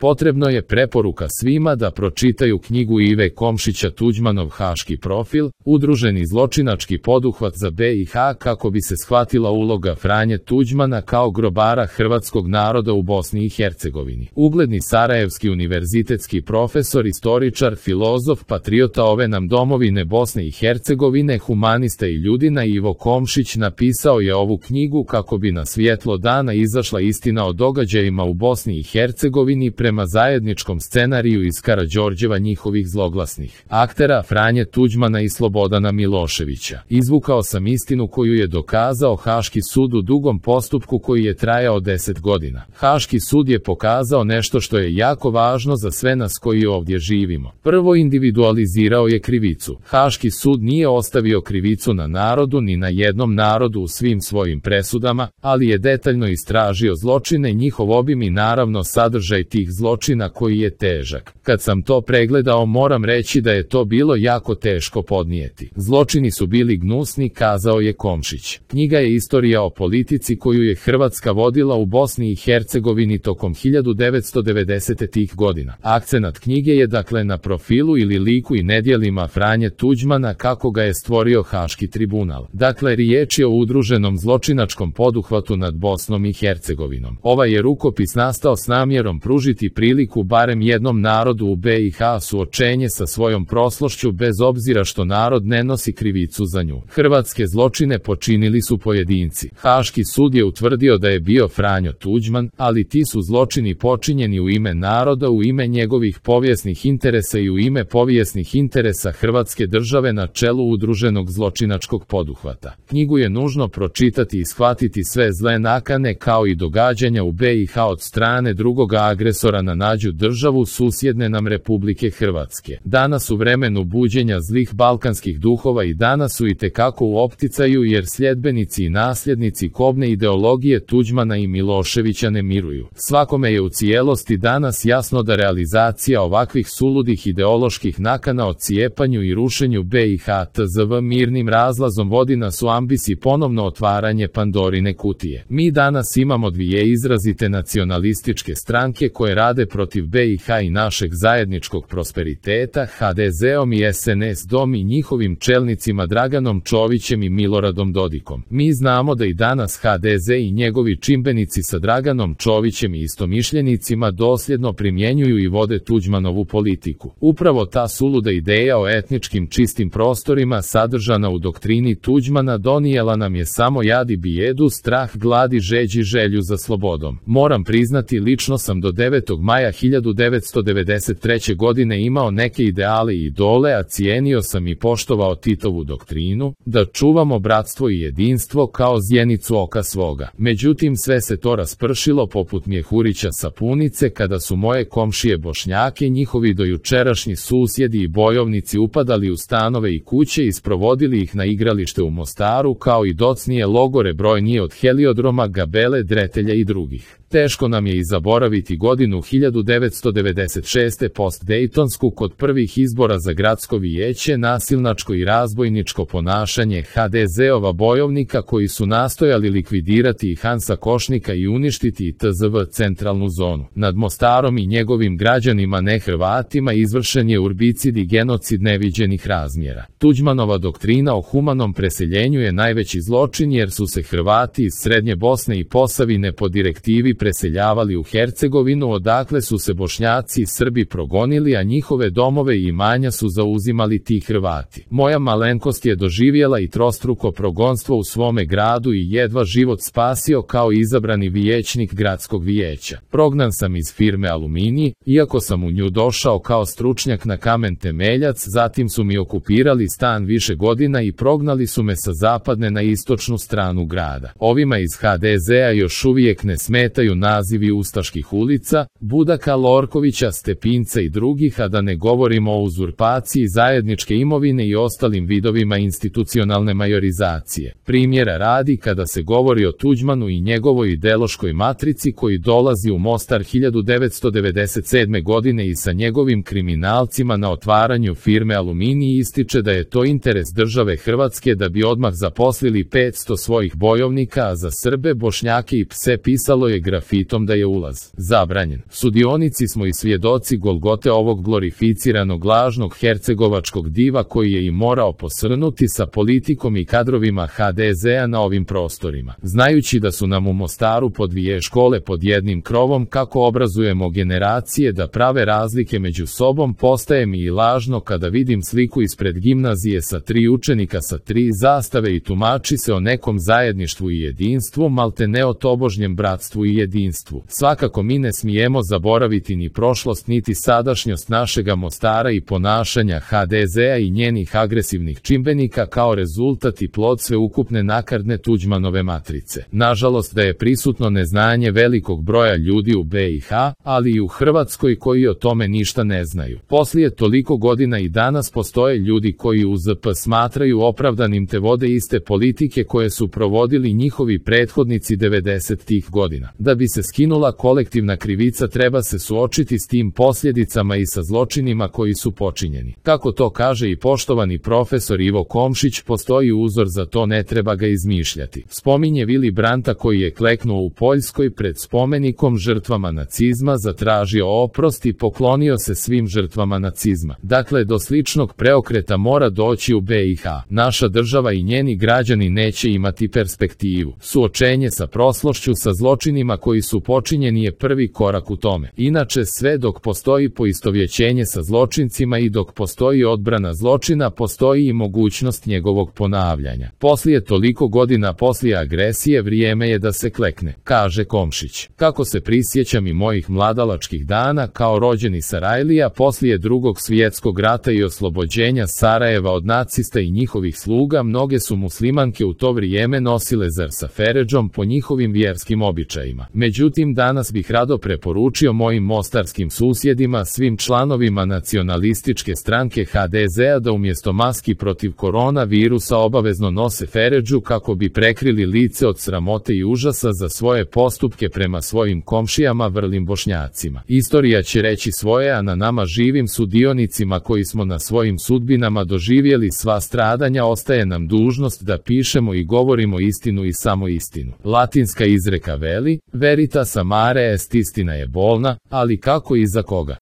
Potrebno je preporuka svima da pročitaju knjigu Ive Komšića Tuđmanov haški profil, udruženi zločinački poduhvat za BiH, kako bi se shvatila uloga Franje Tuđmana kao grobara hrvatskog naroda u Bosni i Hercegovini. Ugledni sarajevski univerzitetski profesor, istoričar, filozof, patriota ove nam domovine Bosne i Hercegovine, humanista i ljudina Ivo Komšić napisao je ovu knjigu kako bi na svjetlo dana izašla istina o događajima u Bosni i Hercegovini prema zajedničkom scenariju iz Karađorđeva njihovih zloglasnih aktera Franje Tuđmana i Slobodana Miloševića. Izvukao sam istinu koju je dokazao Haški sud u dugom postupku koji je trajao 10 godina. Haški sud je pokazao nešto što je jako važno za sve nas koji ovdje živimo. Prvo, individualizirao je krivicu. Haški sud nije ostavio krivicu na narodu ni na jednom narodu u svim svojim presudama, ali je detaljno istražio zločine, njihov obim i naravno sadržaj tih zločina koji je težak. Kad sam to pregledao, moram reći da je to bilo jako teško podnijeti. Zločini su bili gnusni, kazao je Komšić. Knjiga je istorija o politici koju je Hrvatska vodila u Bosni i Hercegovini tokom 1990-ih godina. Akcenat knjige je dakle na profilu ili liku i nedjelima Franje Tuđmana kako ga je stvorio Haški tribunal. Dakle, riječ je o udruženom zločinačkom poduhvatu nad Bosnom i Hercegovinom. Ovaj je rukopis nastao s namjerom pružiti priliku barem jednom narodu u BiH suočenje sa svojom prošlošću bez obzira što narod ne nosi krivicu za nju. Hrvatske zločine počinili su pojedinci. Haški sud je utvrdio da je bio Franjo Tuđman, ali ti su zločini počinjeni u ime naroda, u ime njegovih povijesnih interesa i u ime povijesnih interesa Hrvatske države na čelu udruženog zločinačkog poduhvata. Knjigu je nužno pročitati i shvatiti sve zle nakane kao i događanja u BiH od strane drugoga agresora na nađu državu susjedne nam Republike Hrvatske. Danas u vremenu buđenja zlih balkanskih duhova i danas su itekako u opticaju jer sljedbenici i nasljednici kobne ideologije Tuđmana i Miloševića ne miruju. Svakome je u cijelosti danas jasno da realizacija ovakvih suludih ideoloških nakana o cijepanju i rušenju BiH tzv. Mirnim razlazom vodi nas u ambisi ponovno otvaranje Pandorine kutije. Mi danas imamo dvije izrazite nacionalističke stranke koje rade protiv BiH i našeg zajedničkog prosperiteta, HDZ-om i SNSD-om i njihovim čelnicima Draganom Čovićem i Miloradom Dodikom. Mi znamo da i danas HDZ i njegovi čimbenici sa Draganom Čovićem i istomišljenicima dosljedno primjenjuju i vode Tuđmanovu politiku. Upravo ta suluda ideja o etničkim čistim prostorima sadržana u doktrini Tuđmana donijela nam je samo jad i bijedu, strah, glad i žeđ i želju za slobodom. Moram priznati, lično sam do 9. maja 1993. godine imao neke ideale i idole, a cijenio sam i poštovao Titovu doktrinu, da čuvamo bratstvo i jedinstvo kao zjenicu oka svoga. Međutim, sve se to raspršilo poput mjehurića sapunice kada su moje komšije Bošnjake, njihovi dojučerašnji susjedi i bojovnici upadali u stanove i kuće i sprovodili ih na igralište u Mostaru, kao i docnije logore brojnije od Heliodroma, Gabele, Dretelja i drugih. Teško nam je i zaboraviti godinu 1996. post-Dejtonsku kod prvih izbora za gradsko vijeće, nasilnačko i razbojničko ponašanje HDZ-ova bojovnika koji su nastojali likvidirati i Hansa Košnika i uništiti i tzv. Centralnu zonu. Nad Mostarom i njegovim građanima nehrvatima izvršen je urbicid i genocid neviđenih razmjera. Tuđmanova doktrina o humanom preseljenju je najveći zločin jer su se Hrvati iz Srednje Bosne i Posavine po direktivi preseljavali u Hercegovinu, odakle su se Bošnjaci i Srbi progonili, a njihove domove i imanja su zauzimali ti Hrvati. Moja malenkost je doživjela i trostruko progonstvo u svome gradu i jedva život spasio kao izabrani vijećnik gradskog vijeća. Prognan sam iz firme Aluminij, iako sam u nju došao kao stručnjak na kamen temeljac, zatim su mi okupirali stan više godina i prognali su me sa zapadne na istočnu stranu grada. Ovima iz HDZ-a još uvijek ne smetaju nazivi ustaških ulica, Budaka, Lorkovića, Stepinca i drugih, a da ne govorimo o uzurpaciji zajedničke imovine i ostalim vidovima institucionalne majorizacije. Primjera radi, kada se govori o Tuđmanu i njegovoj ideološkoj matrici koji dolazi u Mostar 1997. godine i sa njegovim kriminalcima na otvaranju firme Aluminij, ističe da je to interes države Hrvatske da bi odmah zaposlili 500 svojih bojovnika, a za Srbe, Bošnjake i pse pisalo je grafiti grafitom da je ulaz zabranjen. Sudionici smo i svjedoci golgote ovog glorificiranog lažnog hercegovačkog diva koji je i morao posrnuti sa politikom i kadrovima HDZ-a na ovim prostorima. Znajući da su nam u Mostaru po 2 škole pod jednim krovom, kako obrazujemo generacije da prave razlike među sobom, postaje mi i lažno kada vidim sliku ispred gimnazije sa 3 učenika sa 3 zastave i tumači se o nekom zajedništvu i jedinstvu, malte ne o tobožnjem bratstvu i jedinstvu. Svakako mi ne smijemo zaboraviti ni prošlost niti sadašnjost našega Mostara i ponašanja HDZ-a i njenih agresivnih čimbenika kao rezultat i plod sveukupne nakarne Tuđmanove matrice. Nažalost da je prisutno neznanje velikog broja ljudi u BiH, ali i u Hrvatskoj koji o tome ništa ne znaju. Poslije toliko godina i danas postoje ljudi koji UZP smatraju opravdanim te vode iste politike koje su provodili njihovi prethodnici 90-ih godina. Da bi se skinula kolektivna krivica treba se suočiti s tim posljedicama i sa zločinima koji su počinjeni. Kako to kaže i poštovani profesor Ivo Komšić, postoji uzor za to, ne treba ga izmišljati. Spominje Vili Branta koji je kleknuo u Poljskoj pred spomenikom žrtvama nacizma, zatražio oprost i poklonio se svim žrtvama nacizma. Dakle, do sličnog preokreta mora doći u BiH. Naša država i njeni građani neće imati perspektivu. Suočenje sa prošlošću, sa zločinima koji su počinjeni je prvi korak u tome. Inače, sve dok postoji poistovjećenje sa zločincima i dok postoji odbrana zločina, postoji i mogućnost njegovog ponavljanja. Poslije toliko godina poslije agresije vrijeme je da se klekne, kaže Komšić. Kako se prisjećam i mojih mladalačkih dana kao rođeni Sarajlija poslije Drugog svjetskog rata i oslobođenja Sarajeva od nacista i njihovih sluga, mnoge su muslimanke u to vrijeme nosile zar sa feredžom po njihovim vjerskim običajima. Međutim, danas bih rado preporučio mojim mostarskim susjedima, svim članovima nacionalističke stranke HDZ-a da umjesto maski protiv koronavirusa obavezno nose feredžu kako bi prekrili lice od sramote i užasa za svoje postupke prema svojim komšijama vrlim Bošnjacima. Istorija će reći svoje, a na nama živim sudionicima koji smo na svojim sudbinama doživjeli sva stradanja ostaje nam dužnost da pišemo i govorimo istinu i samo istinu. Latinska izreka veli, veritas amare est, istina je bolna, ali kako i za koga?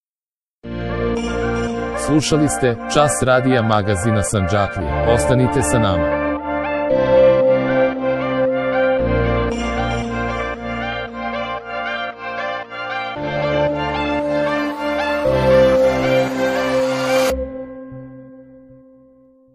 Slušali ste Čas radija magazina Sandžaklije. Ostanite sa nama.